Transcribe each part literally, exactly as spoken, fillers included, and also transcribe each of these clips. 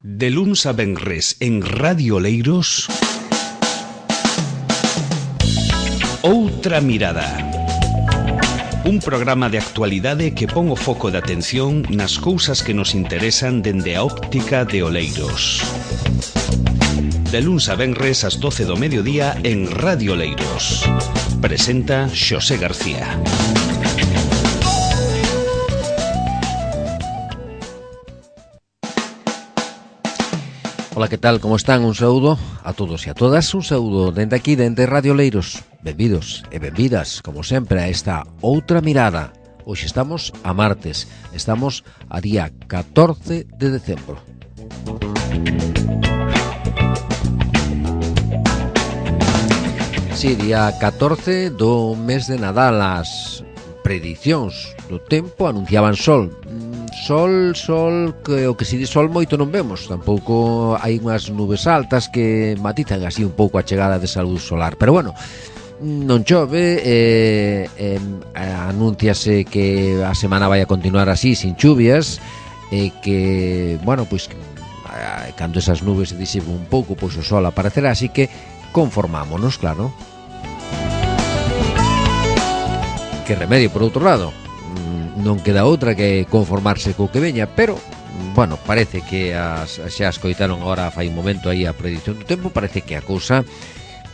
De luns a venres en Radio Oleiros, Outra Mirada. Un programa de actualidade que pon o foco de atención nas cousas que nos interesan dende a óptica de Oleiros. De luns a venres ás doce do mediodía en Radio Oleiros. Presenta Xosé García. Ola, que tal? Como están? Un saúdo a todos e a todas. Un saúdo dende aquí, dende Radio Oleiros. Benvidos e benvidas, como sempre, a esta Outra Mirada. Hoxe estamos a martes. Estamos a día catorce de decembro. Sí, día catorce do mes de Nadal. As predicións do tempo anunciaban sol. Sol, sol, que o que se di sol moito non vemos. Tampouco hai unhas nubes altas que matizan así un pouco a chegada desa luz solar. Pero bueno, non chove, eh, eh, anúnciase que a semana vai a continuar así, sin chuvias, e eh, que, bueno, pois eh, cando esas nubes se disipen un pouco, pois o sol aparecerá, así que conformámonos, claro. Que remedio, por outro lado. Non queda outra que conformarse co que veña, pero, bueno, parece que as, xa escoitaron agora fai un momento aí a predición do tempo, parece que a cousa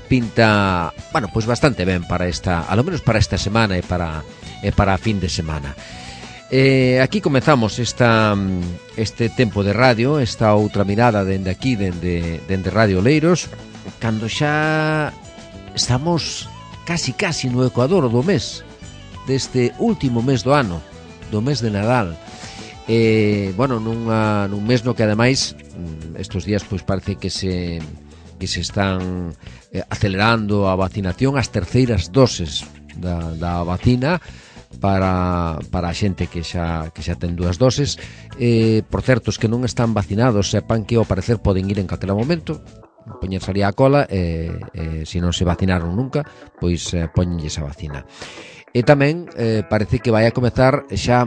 pinta, bueno, pois bastante ben para esta, a lo menos para esta semana e para e para a fin de semana. Eh, aquí comezamos esta este tempo de radio, esta outra mirada dende aquí, dende, dende Radio Oleiros, cando xa estamos casi casi no ecuador do mes, deste último mes do ano, do mes de Nadal. Eh, bueno, nunha, nun mes no que ademais estes días pois parece que se que se están eh, acelerando a vacinación, as terceiras doses da, da vacina para, para a xente que xa, que xa ten dúas doses. Eh, por certo, os que non están vacinados sepan que ao parecer poden ir en calquera momento, poñerse ali a cola, e eh, eh, se non se vacinaron nunca, pois eh, poñenlles a vacina. E tamén eh, parece que vai a comezar xa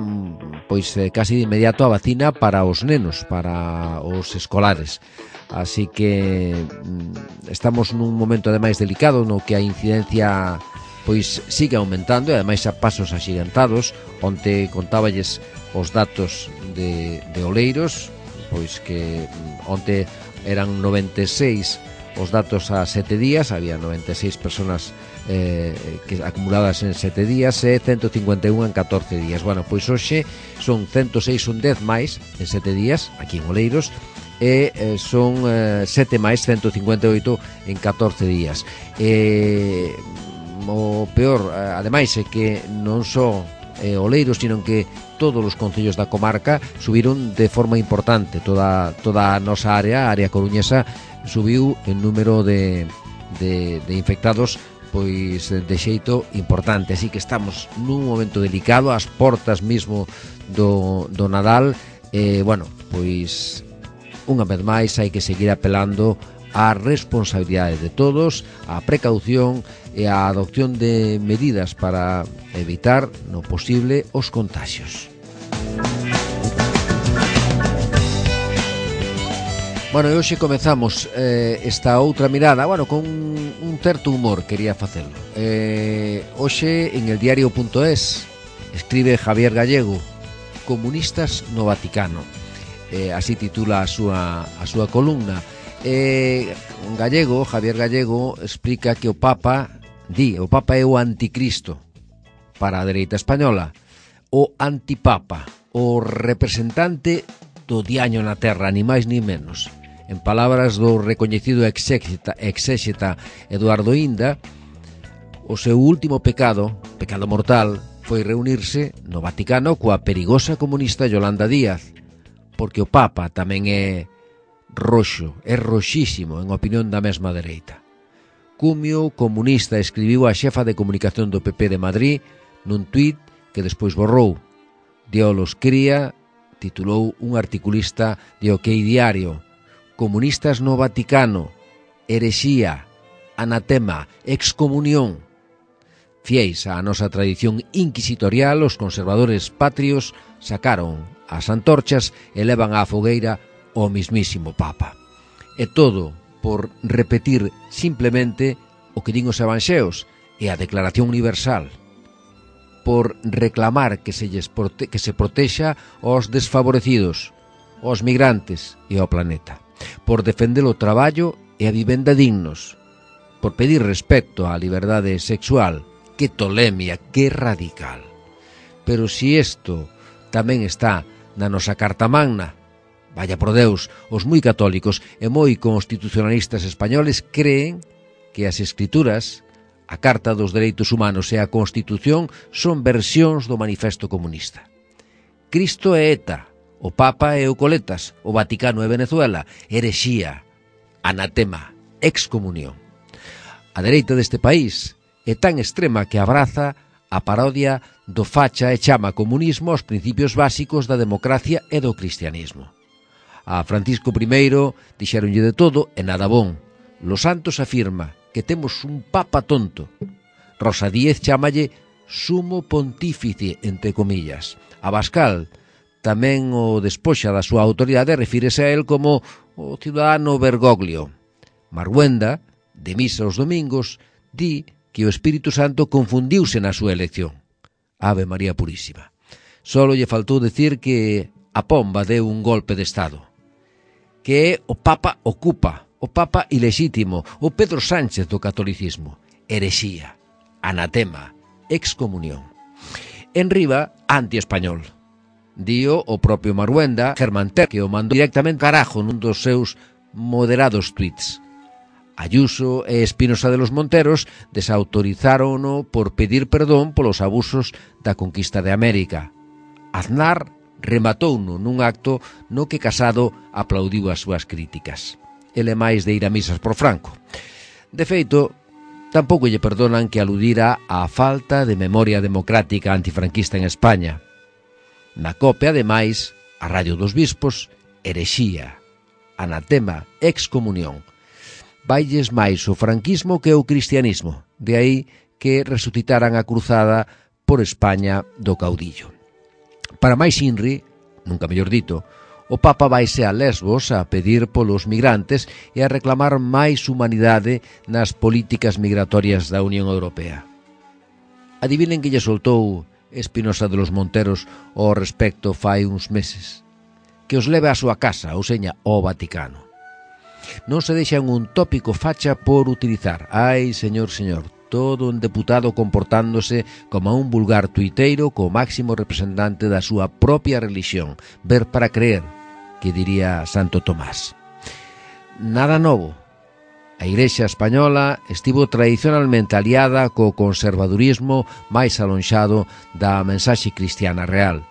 pois eh, casi de inmediato a vacina para os nenos, para os escolares. Así que mm, estamos nun momento ademais delicado no que a incidencia pois sigue aumentando e ademais a pasos axigantados. Onte contáballes os datos de, de Oleiros, pois que mm, onte eran noventa e seis os datos a sete días, había noventa e seis personas Eh, que acumuladas en sete días e ciento cincuenta e un en catorce días. Bueno, pois hoxe son ciento seis, un dez máis en sete días aquí en Oleiros, e eh, son eh, sete máis, ciento cincuenta e oito en catorce días. E o peor, ademais, é que non só eh, Oleiros, sino que todos os concellos da comarca subiron de forma importante. Toda, toda a nosa área, a área coruñesa, subiu en número de, de, de infectados pois de xeito importante, así que estamos nun momento delicado, ás portas mismo do, do Nadal, e, bueno, pois unha vez máis hai que seguir apelando á responsabilidade de todos, á precaución e á adopción de medidas para evitar, no posible, os contaxios. Bueno, e hoxe comezamos eh, esta outra mirada, bueno, con un certo humor, quería facelo. Eh, hoxe, en el diario punto es, escribe Javier Gallego, Comunistas no Vaticano. Eh, así titula a súa, a súa columna. Eh, Gallego, Javier Gallego, explica que o Papa, di, o Papa é o anticristo para a dereita española, o antipapa, o representante do diaño na terra, ni máis ni menos. En palabras do recoñecido exégeta, exégeta Eduardo Inda, o seu último pecado, pecado mortal, foi reunirse no Vaticano coa perigosa comunista Yolanda Díaz, porque o Papa tamén é roxo, é roxísimo en opinión da mesma dereita. Cumio, comunista, escribiu a xefa de comunicación do P P de Madrid nun tuit que despois borrou. Diolos cría, titulou un articulista de OK Diario: Comunistas no Vaticano, herexía, anatema, excomunión. Fiéis á nosa tradición inquisitorial, os conservadores patrios sacaron as antorchas e levan á fogueira o mismísimo Papa. E todo por repetir simplemente o que din os evanxeos e a Declaración Universal, por reclamar que se, lles prote que se protexa aos desfavorecidos, aos migrantes e ao planeta, por defender o traballo e a vivenda dignos, por pedir respecto á liberdade sexual. Que tolemia, que radical. Pero si isto tamén está na nosa Carta Magna, vaya por Deus, os moi católicos e moi constitucionalistas españoles creen que as escrituras, a Carta dos Dereitos Humanos e a Constitución son versións do Manifesto Comunista. Cristo é ETA, o Papa é o Coletas, o Vaticano é Venezuela, herexía, anatema, excomunión. A dereita deste país é tan extrema que abraza a parodia do facha e chama comunismo aos principios básicos da democracia e do cristianismo. A Francisco primeiro dixéronlle de todo e nada bon. Los Santos afirma que temos un papa tonto. Rosa Díez chámalle sumo pontífice, entre comillas. Abascal tamén o despoxa da súa autoridade e refírese a él como o ciudadano Bergoglio. Marguenda, de misa os domingos, di que o Espírito Santo confundiuse na súa elección. Ave María Purísima. Solo lle faltou decir que a pomba deu un golpe de Estado. Que é o Papa ocupa, o Papa ilexítimo, o Pedro Sánchez do catolicismo. Herexía, anatema, excomunión. En riba, anti-español. Dío o propio Marguenda, Germán Ter, que o mandou directamente carajo nun dos seus moderados tuits. Ayuso e Espinosa de los Monteros desautorizárono por pedir perdón polos abusos da conquista de América. Aznar rematouno nun acto no que Casado aplaudiu as súas críticas. Ele máis de ir a misas por Franco. De feito, tampouco lle perdonan que aludira á falta de memoria democrática antifranquista en España. Na copia, ademais, a Radio dos Bispos, herexía, anatema, excomunión. Vailles máis o franquismo que o cristianismo, de aí que resucitaran a cruzada por España do caudillo. Para máis inri, nunca mellor dito, o Papa vaise a Lesbos a pedir polos migrantes e a reclamar máis humanidade nas políticas migratorias da Unión Europea. Adivinen que lle soltou Espinosa de los Monteros ao respecto fai uns meses. Que os leve á súa casa, ou seña, ao Vaticano. Non se deixan un tópico facha por utilizar. Ai, señor, señor, todo un deputado comportándose como un vulgar tuiteiro co máximo representante da súa propia religión. Ver para creer, que diría Santo Tomás. Nada novo. A Igrexa española estivo tradicionalmente aliada co conservadurismo máis alonxado da mensaxe cristiana real.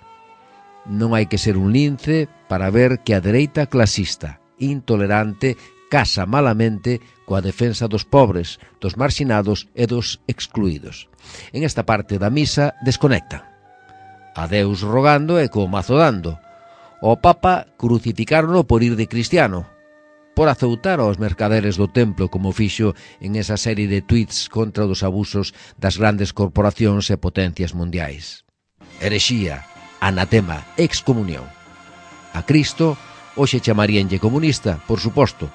Non hai que ser un lince para ver que a dereita clasista, intolerante, casa malamente coa defensa dos pobres, dos marxinados e dos excluídos. En esta parte da misa desconectan. A Deus rogando e co mazo dando. O Papa crucificárono por ir de cristiano, por azoutar aos mercaderes do templo como fixo en esa serie de tuits contra os abusos das grandes corporacións e potencias mundiais. Herexía, anatema, excomunión. A Cristo hoxe chamaríanlle comunista, por suposto.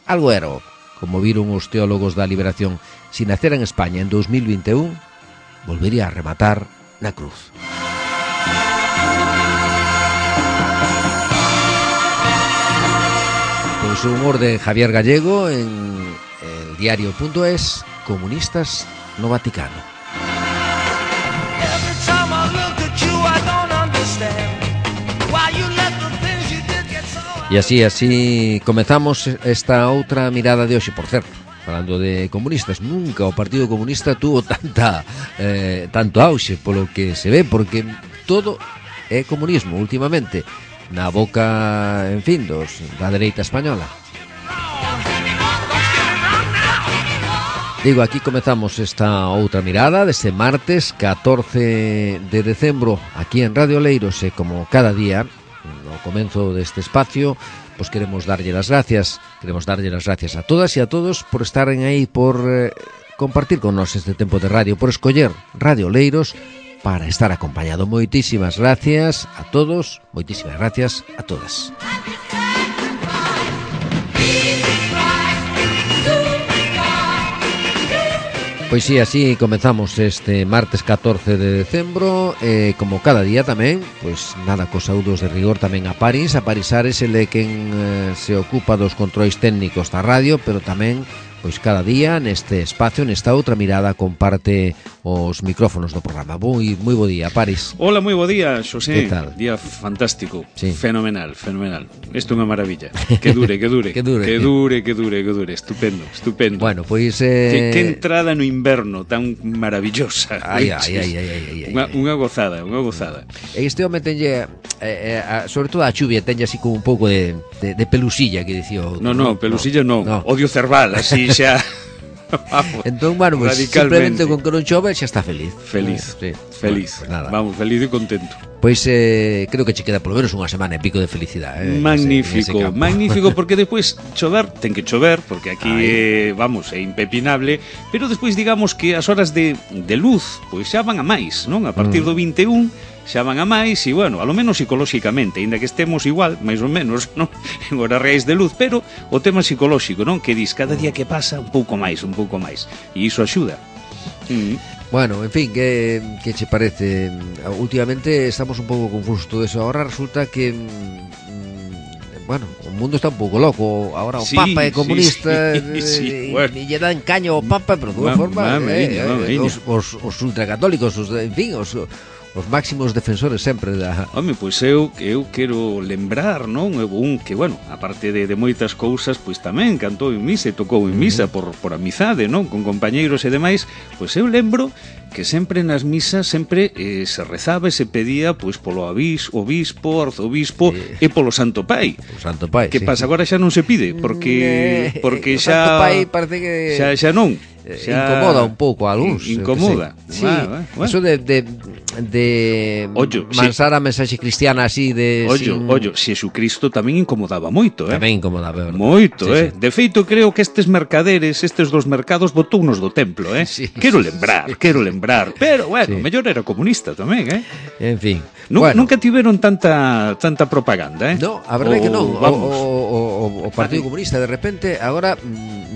Algo era, como viron os teólogos da liberación, si nacera en España en dos mil vinte e un, volvería a rematar na cruz. Pois o humor de Javier Gallego en el diario punto es, comunistas no Vaticano. E así, así comezamos esta outra mirada de hoxe, por certo. Falando de comunistas, nunca o Partido Comunista tuvo tanta eh, tanto auxe, polo que se ve, porque todo é comunismo últimamente, na boca, en fin, dos, da dereita española. Digo, aquí comezamos esta outra mirada deste martes catorce de decembro aquí en Radio Oleiros, e como cada día no comenzo deste espacio, pois queremos darlle las gracias, queremos darlle las gracias a todas e a todos por estaren aí, por eh, compartir con nós este tempo de radio, por escoller Radio Oleiros para estar acompañado. Moitísimas gracias a todos, moitísimas gracias a todas. Pois si, así comezamos este martes catorce de decembro, eh, como cada día tamén, pois nada, cos saúdos de rigor tamén a París. A París Ares, ele quen eh, se ocupa dos controis técnicos da radio, pero tamén pois cada día neste espacio, nesta outra mirada, comparte os micrófonos do programa. Moi moi bo día, París. Hola, moi bo día, Xosé. Que tal? Día fantástico, sí. Fenomenal, fenomenal. Isto é unha maravilla. Que dure, que dure. que dure. Que dure, que dure, que dure. Estupendo, estupendo. Bueno, pois eh... que, que entrada no inverno tan maravillosa. Ai, ai, ai, ai, ai, ai. Unha, unha gozada, unha gozada. Este home tenlle eh, eh, sobre todo a chuvia tenlle así como un pouco de, de, de pelusilla, que dicía o outro. No, no, pelusilla non. No. Odio cerval, así xa. Vamos, entón, bueno, pues, simplemente con que non chove xa está feliz. Feliz, sí. feliz. Bueno, pues nada. Vamos, feliz e contento. Pois eh, creo que che queda polo menos unha semana e pico de felicidade, eh, magnífico, ese, ese magnífico, porque despois chover, ten que chover, porque aquí eh, vamos, é impepinable, pero despois digamos que as horas de, de luz pois xa van a máis, non? A partir mm. do vinte e un xa van a máis e, bueno, a lo menos psicolóxicamente, ainda que estemos igual, máis ou menos, non? En horas reais de luz, pero o tema psicolóxico, non? Que dis, cada día que pasa un pouco máis, un pouco máis, e iso axuda. Mm. Bueno, en fin, que, que che parece? Últimamente estamos un pouco confusos todo eso. Ahora resulta que mmm, bueno, o mundo está un pouco loco. Ahora o sí, Papa é comunista, sí, sí, e bueno. lle dan caño ao Papa, pero de unha forma eh, eh, os, os, os ultracatólicos, os, en fin, os os máximos defensores sempre da... Home, pois eu, eu quero lembrar, non? Un que, bueno, aparte de, de moitas cousas, pois tamén cantou en misa e tocou en misa por, por amizade, non? Con compañeiros e demais, pois eu lembro que sempre nas misas sempre eh, se rezaba e se pedía pois polo abis, obispo, arzobispo sí. e polo Santo Pai. O Santo Pai, que sí. pasa, agora xa non se pide, porque eh, porque o xa... Santo Pai parece que... Xa, xa non. Xa... Incomoda un pouco a algúns. Incomoda. Sí, va, va, va. Eso de... de de Ollo, mansar sí. a mensaxe cristiana así de... Ollo, sin... ollo, Xesucristo tamén incomodaba moito, eh? Tamén incomodaba, verdad? Moito, sí, eh? Sí. De feito, creo que estes mercaderes, estes dos mercados, botounos do templo, eh? Sí, quero lembrar, sí. quero lembrar. Pero, bueno, sí. mellor era comunista tamén, eh? En fin. Nun, bueno. Nunca tiveron tanta tanta propaganda, eh? No, a verdade que non. O, o, o, o Partido Comunista, de repente, agora,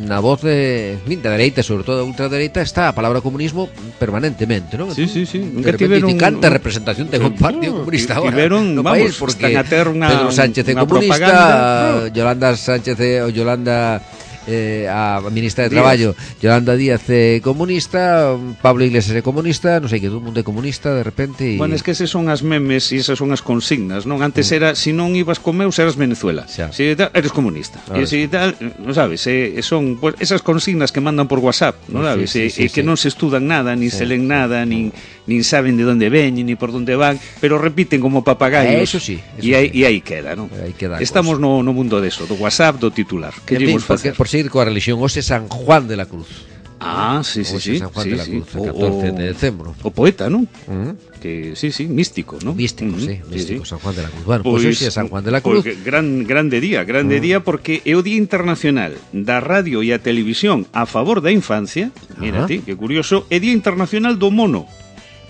na voz de, da dereita, sobre todo a ultradereita, está a palabra comunismo permanentemente, non? Sí, sí, sí. Nunca tiveron... Canta representación ten un Partido Comunista ahora tiveron, no vamos, país, porque están a ter unha, Pedro Sánchez é comunista, propaganda. Yolanda Sánchez o Yolanda eh, a ministra de Díaz. Traballo, Yolanda Díaz é comunista, Pablo Iglesias é comunista, non sei, que todo mundo é comunista de repente y... Bueno, es que esas son as memes e esas son as consignas, non? Antes mm. era, si non ibas con meus, eras Venezuela, xa. Si tal, eres comunista, e si tal, non sabes, eh, son pues, esas consignas que mandan por WhatsApp, non sabes, sí, sí, sí, e, sí, que sí. non se estudan nada, ni sí. se len nada, nin nin saben de onde veñen, ni por onde van, pero repiten como papagaios. Eh, eso sí. Eso e, aí, sí. e aí queda, non? Aí queda Estamos no, no mundo deso, do WhatsApp, do titular. Que en fin, facer? Por seguir coa religión, hoxe San Juan de la Cruz. Ah, sí, sí, sí. San Juan sí, de la Cruz, sí. el catorce de decembro. O poeta, non? Uh -huh. Que sí, sí, místico, ¿no? Místico, uh -huh. sí, místico, sí, sí. San Juan de la Cruz. Bueno, pois pues, hoxe é San Juan de la Cruz. Pues, gran, grande día, grande uh -huh. día, porque é o Día Internacional da Radio e a Televisión a favor da infancia. Mira uh -huh. ti, que curioso. É Día Internacional do Mono.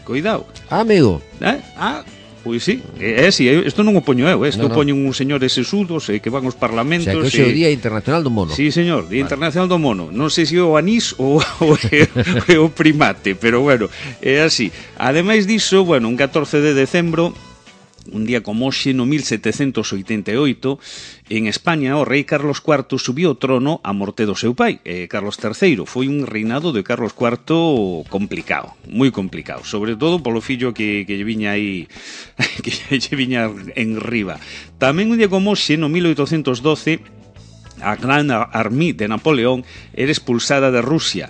Cuidado. Ah, amigo. Eh? Ah, pois sí, é, é si, isto non o poño eu, isto no, no. poñen uns señores sesudos eh, que van aos parlamentos. O sea, que hoxe é o Día Internacional do Mono. Sí, señor, Día vale. Internacional do Mono. Non sei se é o anís ou, ou é, é o primate, pero bueno, é así. Ademais diso, bueno, un catorce de decembro, un día como hoxe, no mil setecentos oitenta e oito, en España o rei Carlos cuarto subiu ao trono a morte do seu pai, eh, Carlos terceiro. Foi un reinado de Carlos cuarto complicado, moi complicado, sobre todo polo fillo que, que lle viña aí, que lle viña en riba. Tamén un día como hoxe, no mil oitocentos doce, a Gran Armée de Napoleón era expulsada de Rusia.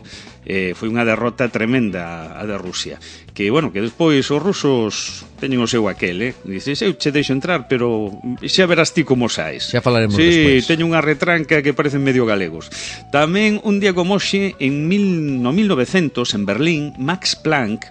Eh, foi unha derrota tremenda a de Rusia, que, bueno, que despois os rusos teñen o seu aquel, eh? Dices, eu che deixo entrar, pero xa verás ti como saes. Xa falaremos sí, despois. Sí, teño unha retranca que parecen medio galegos. Tamén un día como hoxe, en mil, no mil novecientos, en Berlín, Max Planck,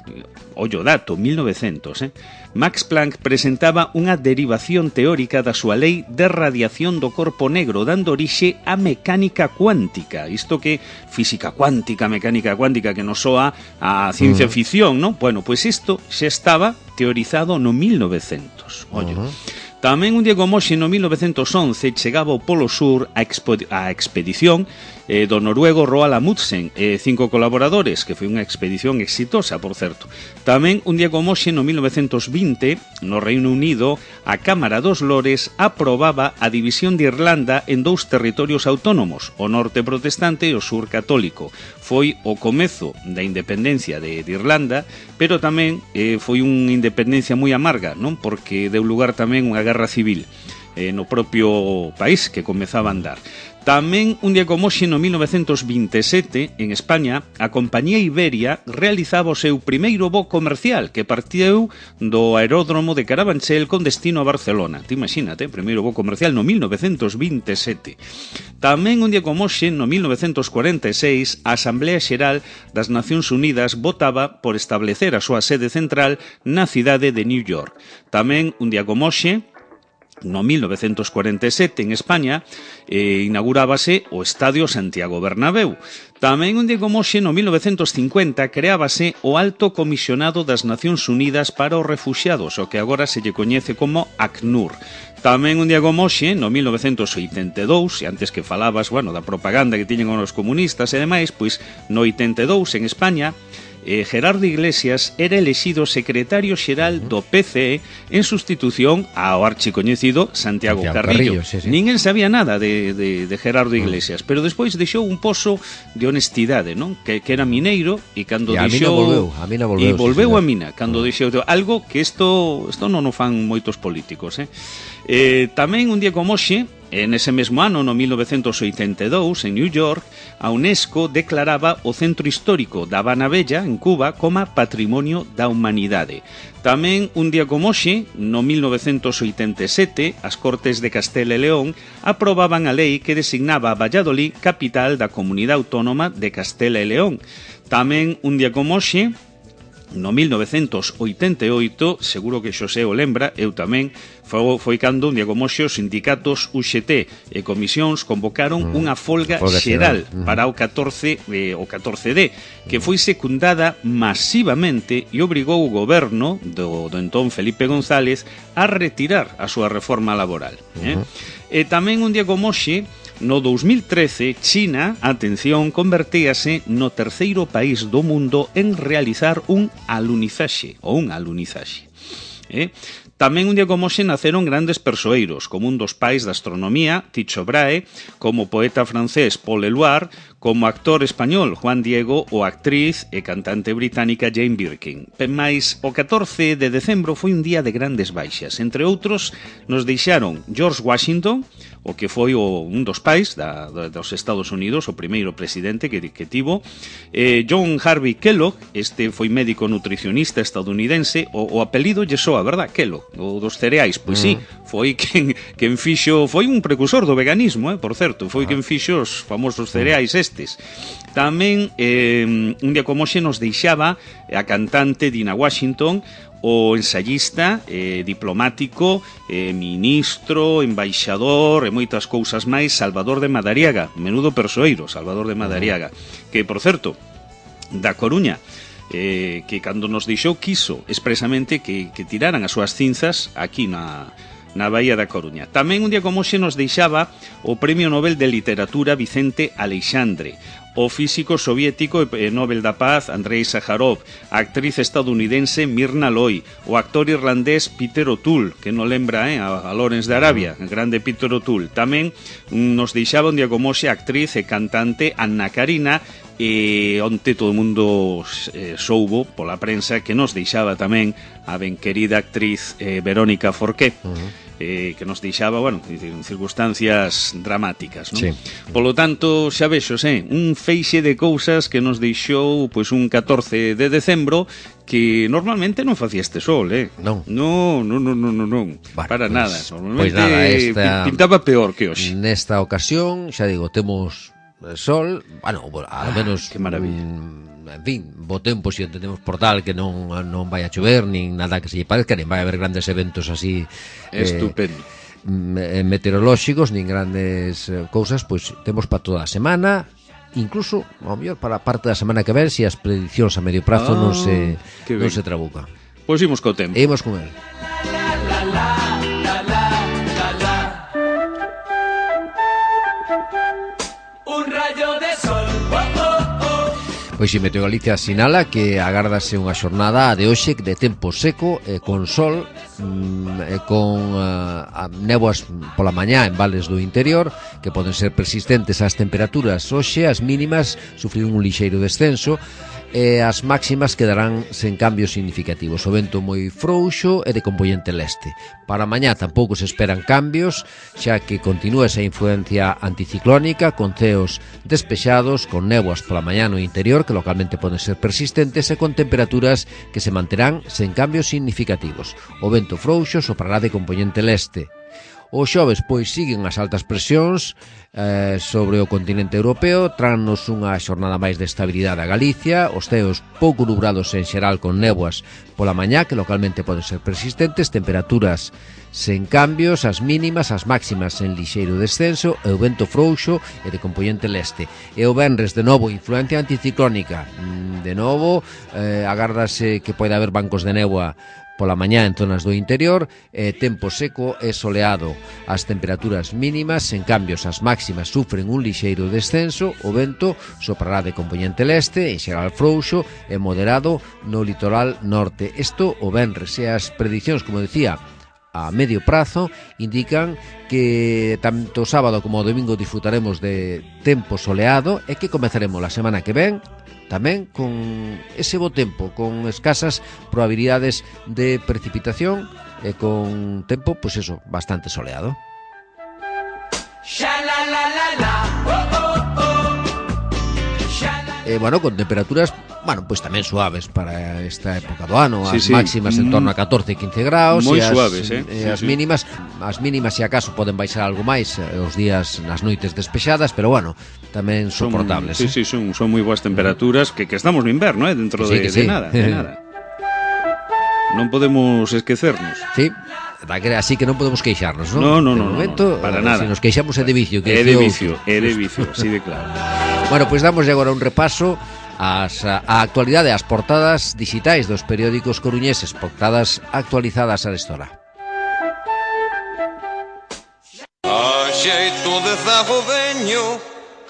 ollo dato, mil novecientos, eh? Max Planck presentaba unha derivación teórica da súa lei de radiación do corpo negro, dando orixe á mecánica cuántica. Isto que física cuántica, mecánica cuántica, que nos soa a ciencia ficción, ¿no? Bueno, pois isto xa estaba teorizado no mil novecientos. Ollo. Uh -huh. Tamén un día como hoxe, no mil novecentos once, chegaba ao Polo Sur a, expo a expedición eh, do noruego Roald Amundsen e eh, cinco colaboradores, que foi unha expedición exitosa, por certo. Tamén un día como hoxe, no mil novecentos vinte, no Reino Unido, a Cámara dos Lores aprobaba a división de Irlanda en dous territorios autónomos, o norte protestante e o sur católico. Foi o comezo da independencia de, de Irlanda, pero tamén eh, foi unha independencia moi amarga, non? Porque deu lugar tamén unha guerra civil eh, no propio país que comezaba a andar. Tamén, un día como hoxe, no mil novecentos vinte e sete, en España, a compañía Iberia realizaba o seu primeiro voo comercial que partiu do aeródromo de Carabanchel con destino a Barcelona. Te imagínate, primeiro voo comercial no mil novecentos vinte e sete. Tamén, un día como hoxe, no mil novecentos cuarenta e seis, a Asamblea Xeral das Nacións Unidas votaba por establecer a súa sede central na cidade de New York. Tamén, un día como hoxe, no mil novecentos cuarenta e sete, en España, eh, inaugurábase o Estadio Santiago Bernabéu. Tamén un día como hoxe, no mil novecentos cincuenta, creábase o Alto Comisionado das Nacións Unidas para os Refuxiados, o que agora se lle coñece como ACNUR. Tamén un día como hoxe, no mil novecentos oitenta e dous, e antes que falabas, bueno, da propaganda que tiñen os comunistas e demais, pois no oitenta e dous, en España, Eh, Gerardo Iglesias era elexido secretario xeral do P C E en sustitución ao archicoñecido Santiago, Santiago Carrillo. Carrillo sí, sí. Ninguén sabía nada de, de, de Gerardo Iglesias, pero despois deixou un pozo de honestidade, non? Que, que era mineiro e cando e deixou... volveu, a mina volveu, e volveu sí, a mina, cando deixou algo que isto, isto non o fan moitos políticos, eh? Eh, tamén un día como hoxe, en ese mesmo ano, no mil novecentos oitenta e dous, en New York, a UNESCO declaraba o centro histórico da Habana Bella, en Cuba, como Patrimonio da Humanidade. Tamén, un día como hoxe, no mil novecentos oitenta e sete, as Cortes de Castela e León aprobaban a lei que designaba a Valladolid capital da Comunidade Autónoma de Castela e León. Tamén, un día como hoxe, no mil novecentos oitenta e oito, seguro que Xosé o lembra, eu tamén, foi, foi cando un día como hoxe os sindicatos U X T e comisións convocaron mm, unha folga, folga xeral mm. para o catorce, eh, o catorce D, que foi secundada masivamente e obrigou o goberno do, do entón Felipe González a retirar a súa reforma laboral. Eh? Mm-hmm. E tamén un día como hoxe, no dous mil trece, China, atención, convertíase no terceiro país do mundo en realizar un alunizaxe, ou un alunizaxe. Eh? Tamén un día como hoxe naceron grandes persoeiros, como un dos pais da astronomía, Tycho Brahe, como poeta francés Paul Eluard, como actor español Juan Diego ou actriz e cantante británica Jane Birkin. Mais o catorce de decembro foi un día de grandes baixas. Entre outros, nos deixaron George Washington, o que foi o, un dos pais da, dos Estados Unidos, o primeiro presidente que, que tivo, eh, John Harvey Kellogg, este foi médico nutricionista estadounidense, o, o apelido lle soa, verdad, Kellogg, o dos cereais, pois sí, foi quen, quen fixo, foi un precursor do veganismo, eh, por certo, foi quen fixo os famosos cereais estes. Tamén, eh, un día como hoxe nos deixaba a cantante Dina Washington, o ensayista, eh, diplomático, eh, ministro, embaixador e moitas cousas máis, Salvador de Madariaga, menudo persoeiro, Salvador de Madariaga, que, por certo, da Coruña, eh, que cando nos deixou quiso expresamente que, que tiraran as súas cinzas aquí na, na Baía da Coruña. Tamén un día como hoxe nos deixaba o Premio Nobel de Literatura Vicente Aleixandre, o físico soviético e Nobel da Paz Andrei Sájarov, a actriz estadounidense Mirna Loy, o actor irlandés Peter O'Toole, que non lembra eh, a, a Lawrence de Arabia, el grande Peter O'Toole. Tamén nos deixaba un día como hoxe a actriz e cantante Anna Karina, e onte todo o mundo eh, soubo pola prensa que nos deixaba tamén a ben querida actriz eh, Verónica Forqué. Uh-huh. Eh, que nos deixaba, bueno, en circunstancias dramáticas, non? Sí. Polo tanto, xa vexos, eh, un feixe de cousas que nos deixou pois un catorce de decembro que normalmente non facía este sol, eh? Non. Non, non, non, non, non, non. Bueno, para pues, nada. Normalmente pues nada, esta, pintaba peor que hoxe. Nesta ocasión, xa digo, temos sol, bueno, ao menos... Ah, que maravilla. Mm, en fin, bo tempo, se si entendemos por tal que non non vai a chover, nin nada que se lle parezca, nin vai a haber grandes eventos así estupendo eh, meteorolóxicos, nin grandes eh, cousas, pois temos para toda a semana, incluso ao mellor para a parte da semana que ven, se as prediccións a medio prazo ah, non se non se trabucan. Pois imos co tempo. Imos con el. La, la, la, la, la. rayo de sol. Oh, oh, oh. Pois si Meteo Galicia sinala que agárdase unha xornada de hoxe de tempo seco e con sol, e con uh, néboas pola mañá en vales do interior que poden ser persistentes. As temperaturas hoxe, as mínimas, sufriron un lixeiro descenso e as máximas quedarán sen cambios significativos. O vento moi frouxo e de compoñente leste. Para mañá tampouco se esperan cambios, xa que continúa esa influencia anticiclónica con ceos despexados, con néboas pola mañá no interior que localmente poden ser persistentes e con temperaturas que se manterán sen cambios significativos. O vento frouxo soprará de compoñente leste. O xoves, pois, siguen as altas presións eh, sobre o continente europeo, trannos unha xornada máis de estabilidade a Galicia, os ceos pouco nubrados en xeral con néboas pola mañá, que localmente poden ser persistentes, temperaturas sen cambios, as mínimas, as máximas en lixeiro descenso, e o vento frouxo e de compoñente leste. E o venres, de novo, influencia anticiclónica. De novo, eh, agárdase que pode haber bancos de néboa pola mañá en zonas do interior, eh, tempo seco e soleado. As temperaturas mínimas, en cambios as máximas sufren un lixeiro descenso, o vento soprará de compoñente leste, en xeral frouxo e moderado no litoral norte. Isto o venres, e as predicións, como decía, a medio prazo indican que tanto o sábado como o domingo disfrutaremos de tempo soleado e que comezaremos a semana que ven tamén con ese bo tempo, con escasas probabilidades de precipitación e con tempo, pois eso, bastante soleado. E, bueno, con temperaturas, bueno, pois tamén suaves para esta época do ano, as sí, sí. máximas en torno a catorce e quince graus, moi e as, suaves, eh? E sí, as sí. mínimas, as mínimas se acaso poden baixar algo máis os días nas noites despexadas, pero bueno, tamén soportables. Son, sí, eh? sí, son, son moi boas temperaturas, que, que estamos no inverno, eh, dentro sí, de, sí. de nada, de nada. Non podemos esquecernos. Sí. Así que non podemos queixarnos, non? No, no, no, momento, no, para nada. Se nos queixamos é de vicio, que é de vicio, é de vicio, así de claro. Bueno, pois pues damos agora un repaso ás, a actualidade, as portadas digitais dos periódicos coruñeses, portadas actualizadas a esta hora. A xeito de zago veño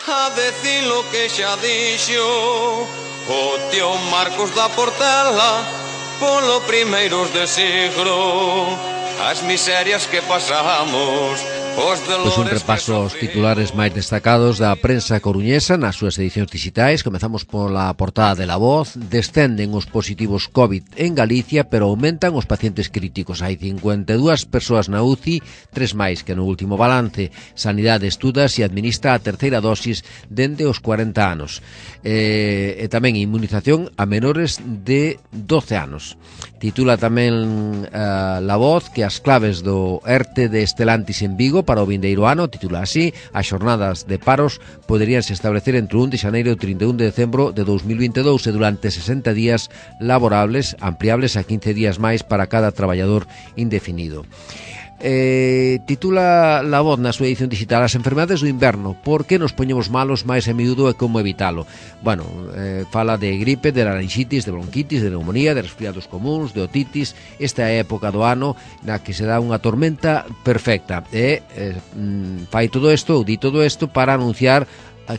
a decir lo que xa dixo o tío Marcos da Portela polo primeiros de siglo, as miserias que pasamos. Pois un repaso aos titulares máis destacados da prensa coruñesa nas súas edicións digitais. Comezamos pola portada de La Voz. Descenden os positivos COVID en Galicia, pero aumentan os pacientes críticos. Hai cincuenta e dúas persoas na U C I, tres máis que no último balance. Sanidade estuda se administra a terceira dosis dende os cuarenta anos. E, e tamén inmunización a menores de doce anos. Titula tamén uh, La Voz que as claves do ERTE de Estelantis en Vigo para o vindeiro ano, titula así: as xornadas de paros poderíanse establecer entre o un de xaneiro e o trinta e un de decembro de dous mil vinte e dous e durante sesenta días laborables, ampliables a quince días máis para cada traballador indefinido. Eh, titula La Voz na súa edición digital: as enfermedades do inverno, por que nos poñemos malos máis a miúdo e como evitalo. Bueno, eh, fala de gripe, de larinxitis, de bronquitis, de neumonía, de resfriados comuns, de otitis. Esta é a época do ano na que se dá unha tormenta perfecta e eh, fai todo isto, ou di todo isto para anunciar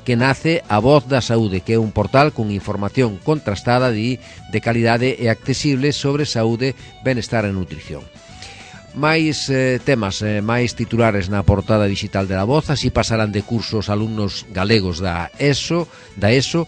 que nace a Voz da Saúde, que é un portal con información contrastada de, de calidade e accesible sobre saúde, benestar e nutrición. Máis eh, temas, eh, máis titulares na portada digital de La Voz. Así pasarán de curso os alumnos galegos da ESO, da ESO.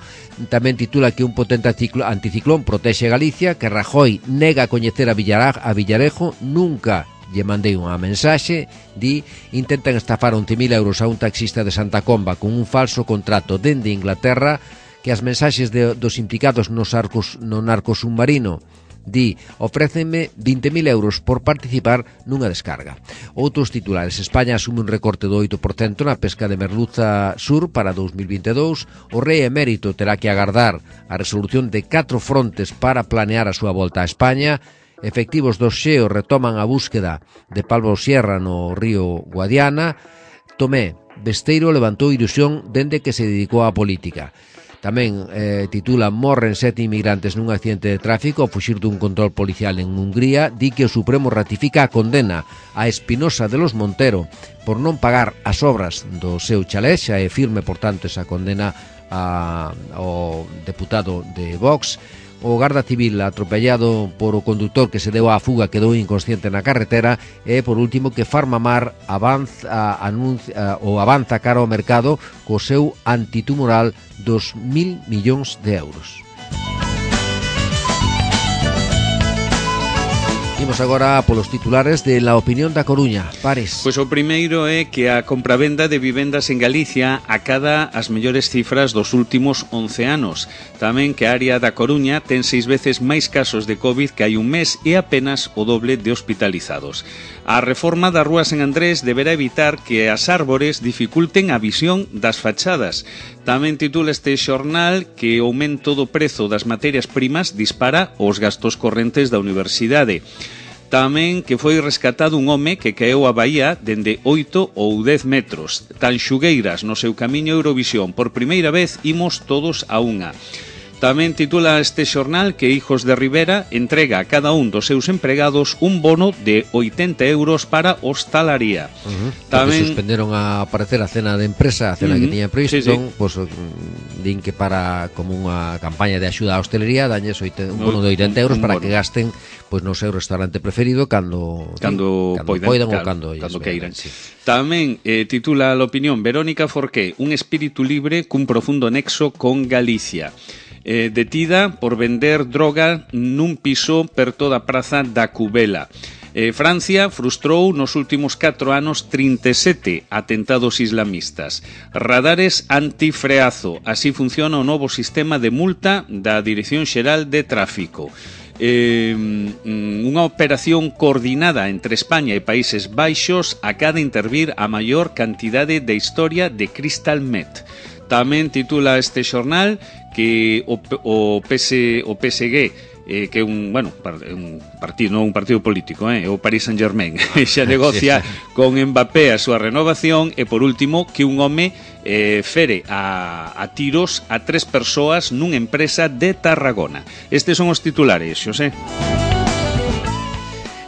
Tamén titula que un potente anticiclón protexe Galicia, que Rajoy nega a coñecer a, Villaraj, a Villarejo. Nunca lle mandei unha mensaxe. Di, intentan estafar once mil euros a un taxista de Santa Comba con un falso contrato dende Inglaterra, que as mensaxes de, dos implicados nos arcos, no narco submarino. Di, ofrécenme vinte mil euros por participar nunha descarga. Outros titulares: España asume un recorte do oito por cento na pesca de merluza sur para dous mil vinte e dous. O rei emérito terá que agardar a resolución de catro frontes para planear a súa volta a España. Efectivos do Xeo retoman a búsqueda de Pablo Sierra no río Guadiana. Tomé Besteiro levantou ilusión dende que se dedicou á política. Tamén eh, titula Morren sete inmigrantes nun accidente de tráfico ao fuxir dun control policial en Hungría. Di que o Supremo ratifica a condena a Espinosa de los Montero por non pagar as obras do seu chalé. Xa é firme, por tanto, esa condena a, ao deputado de Vox. O garda civil atropellado por o conductor que se deu á fuga quedou inconsciente na carretera. E, por último, que Farmamar avanza, anuncia, ou avanza cara ao mercado co seu antitumoral dos mil millóns de euros. Imos agora polos titulares de La Opinión da Coruña. Pares. Pois o primeiro é que a compravenda de vivendas en Galicia acada as mellores cifras dos últimos once anos. Tamén que a área da Coruña ten seis veces máis casos de COVID que hai un mes e apenas o doble de hospitalizados. A reforma da Rúa San Andrés deberá evitar que as árbores dificulten a visión das fachadas. Tamén titula este xornal que o aumento do prezo das materias primas dispara os gastos correntes da universidade. Tamén que foi rescatado un home que caeu a Bahía dende oito ou dez metros. Tanxugueiras no seu camiño a Eurovisión. Por primeira vez imos todos a unha. Tamén titula este xornal que Hijos de Rivera entrega a cada un dos seus empregados un bono de oitenta euros para hostalaría. Uh-huh. Tamén suspenderon a aparecer a cena de empresa, a cena uh-huh. que tiña previsto, sí, sí. Pues, din que para como unha campaña de axuda á hostelería dañes un bono de oitenta euros un, un para bono. Que gasten pois no seu restaurante preferido cando cando, cando poidan, poidan claro, ou cando, cando queiran. Sí. Tamén eh, titula a opinión Verónica Forqué, un espírito libre cun profundo nexo con Galicia. Eh, detida por vender droga nun piso perto da praza da Cubela. Eh, Francia frustrou nos últimos catro anos trinta e sete atentados islamistas. Radares antifreazo. Así funciona o novo sistema de multa da Dirección Xeral de Tráfico. Eh, unha operación coordinada entre España e Países Baixos acada intervir a maior cantidade de historia de Crystal Meth. Tamén titula este xornal que o, o, PS, o P S G eh, que é un, bueno, un partido, non un partido político, eh, o Paris Saint-Germain xa negocia sí, sí. con Mbappé a súa renovación. E por último que un home eh, fere a, a tiros a tres persoas nunha empresa de Tarragona. Estes son os titulares, Xosé.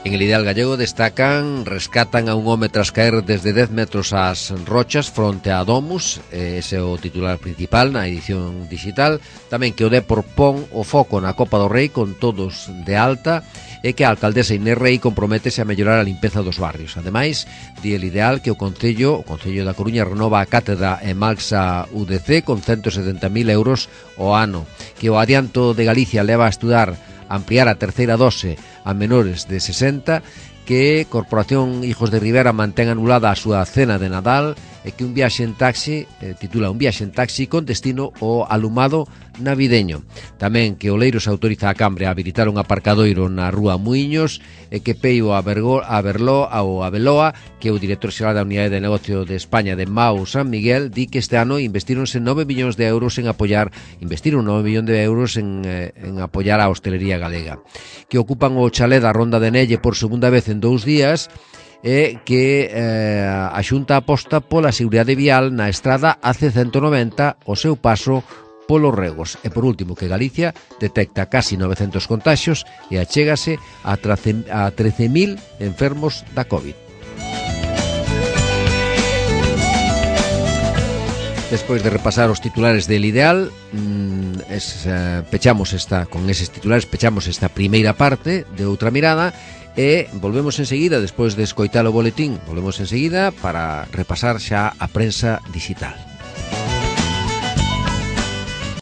En el Ideal Gallego destacan, rescatan a un home tras caer desde dez metros ás rochas fronte a Domus, ese é o titular principal na edición digital. Tamén que o Depor pon o foco na Copa do Rei con todos de alta e que a alcaldesa Inés Rei comprométese a mellorar a limpeza dos barrios. Ademais, di el Ideal que o Concello, o Concello da Coruña renova a cátedra en Malxa U D C con ciento setenta mil euros ao ano, que o Adianto de Galicia leva a estudar ampliar a terceira dose a menores de sesenta, que Corporación Hijos de Rivera mantén anulada a súa cena de Nadal e que un viaxe en taxi, eh, titula un viaxe en taxi con destino ao alumado navideño. Tamén que Oleiros autoriza a Cambre a habilitar un aparcadoiro na Rúa Muiños e que Peio a, Bergo, a Berlo ao Abeloa, que o director xeral da Unidade de Negocio de España de Mau San Miguel, di que este ano investíronse nove millóns de euros en apoiar, investiron nove millóns de euros en, eh, en apoiar a hostelería galega. Que ocupan o chalé da Ronda de Nelle por segunda vez en dous días e que eh, a Xunta aposta pola seguridade vial na estrada A C ciento noventa o seu paso polos Regos. E por último que Galicia detecta casi novecentos contaxios e achégase a trece mil enfermos da COVID. Despois de repasar os titulares del Ideal, mmm, es, eh, pechamos esta con eses titulares pechamos esta primeira parte de Outra Mirada. E volvemos enseguida, despois de escoitar o boletín, volvemos enseguida para repasar xa a prensa digital.